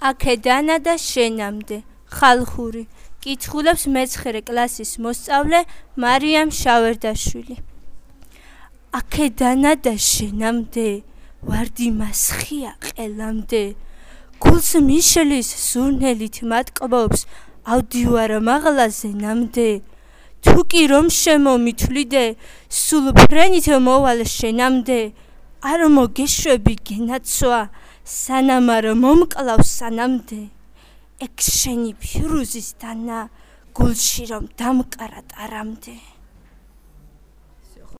აქედანა და შენამდე ხალხური კითხულობს მე-9 კლასის მოსწავლე მარიამ შავერდაშვილი. აქედანა და შენამდე ვარდი მასხია ყელამდე გულს მიშლის სურნელით მატყბობს ავდივარ მაღლაზე ნამდე თუ კი რომ შემომითვლიდე სულ ფრენით მოვალ შენამდე არ მოგეშვები გენაცვა სანამ არ მომკლავს სანამდე ეგ შენი ფირუზის დანა გულში რომ დამკრა ტარამდე